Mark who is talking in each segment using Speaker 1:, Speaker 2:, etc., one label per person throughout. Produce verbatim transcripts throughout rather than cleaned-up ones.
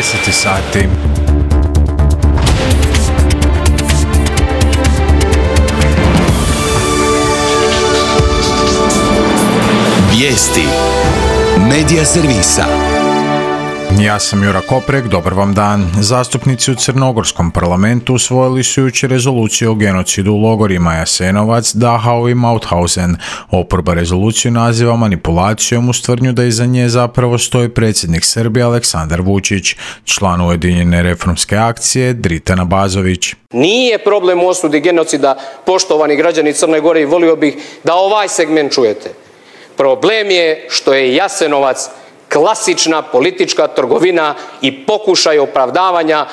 Speaker 1: deset sati.
Speaker 2: Vijesti Medija servisa.
Speaker 1: Ja sam Jura Koprek, dobar vam dan. Zastupnici u Crnogorskom parlamentu usvojili su jučer rezoluciju o genocidu u logorima Jasenovac, Dachau i Mauthausen. Oporba rezoluciju naziva manipulacijom uz tvrdnju da iza nje zapravo stoji predsjednik Srbije Aleksandar Vučić, član Ujedinjene reformske akcije Dritan Abazović.
Speaker 3: Nije problem u osudi genocida, poštovani građani Crne Gore, i volio bih da ovaj segment čujete. Problem je što je Jasenovac klasična politička trgovina i pokušaj opravdavanja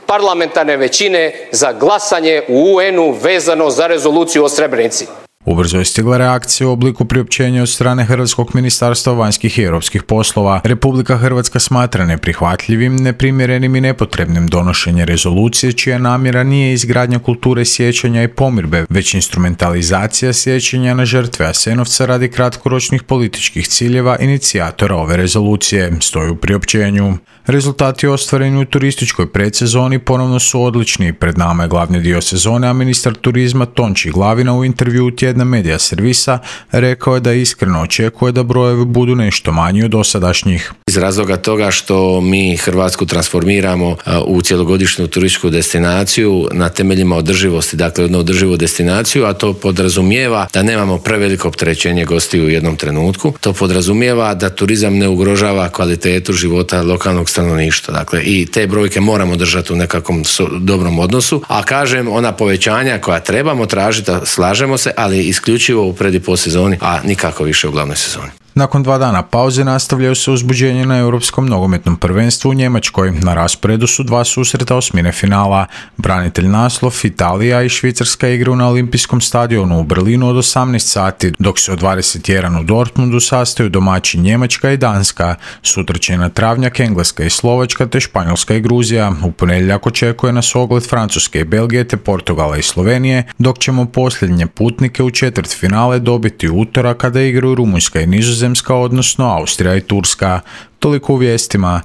Speaker 3: parlamentarne većine za glasanje u U N-u vezano za rezoluciju o Srebrenici.
Speaker 1: Ubrzo je stigla reakcija u obliku priopćenja od strane Hrvatskog ministarstva vanjskih i europskih poslova. Republika Hrvatska smatra neprihvatljivim, neprimjerenim i nepotrebnim donošenje rezolucije čija namjera nije izgradnja kulture sjećanja i pomirbe, već instrumentalizacija sjećanja na žrtve Jasenovca radi kratkoročnih političkih ciljeva inicijatora ove rezolucije, stoji u priopćenju. Rezultati ostvareni u turističkoj predsezoni ponovno su odlični. Pred nama je glavni dio sezone, a ministar turizma Tonči Glavina u intervjuu tjedna Medija servisa rekao je da iskreno očekuje da brojevi budu nešto manji od dosadašnjih.
Speaker 4: Iz razloga toga što mi Hrvatsku transformiramo u cjelogodišnju turističku destinaciju na temeljima održivosti, dakle jednu održivu destinaciju, a to podrazumijeva da nemamo preveliko opterećenje gostiju u jednom trenutku. To podrazumijeva da turizam ne ugrožava kvalitetu života lokalnog stanovništva. Dakle, i te brojke moramo držati u nekakvom dobrom odnosu, a kažem, ona povećanja koja trebamo tražiti, slažemo se, ali isključivo u pred i postsezoni, a nikako više u glavnoj sezoni.
Speaker 1: Nakon dva dana pauze nastavljaju se uzbuđenje na Europskom nogometnom prvenstvu u Njemačkoj. Na rasporedu su dva susreta osmine finala. Branitelj naslov Italija i Švicarska igraju na Olimpijskom stadionu u Berlinu od osamnaest sati, dok se od dvadeset jedan u Dortmundu sastaju domaći Njemačka i Danska. Sutra će na travnjak Engleska i Slovačka te Španjolska i Gruzija. U ponedjeljak očekuje nas ogled Francuske i Belgije te Portugala i Slovenije, dok ćemo posljednje putnike u četvrtfinale dobiti u utorak kada igraju Rumunjska i Nizozemska, odnosno Austrija i Turska. Toliko u vijestima.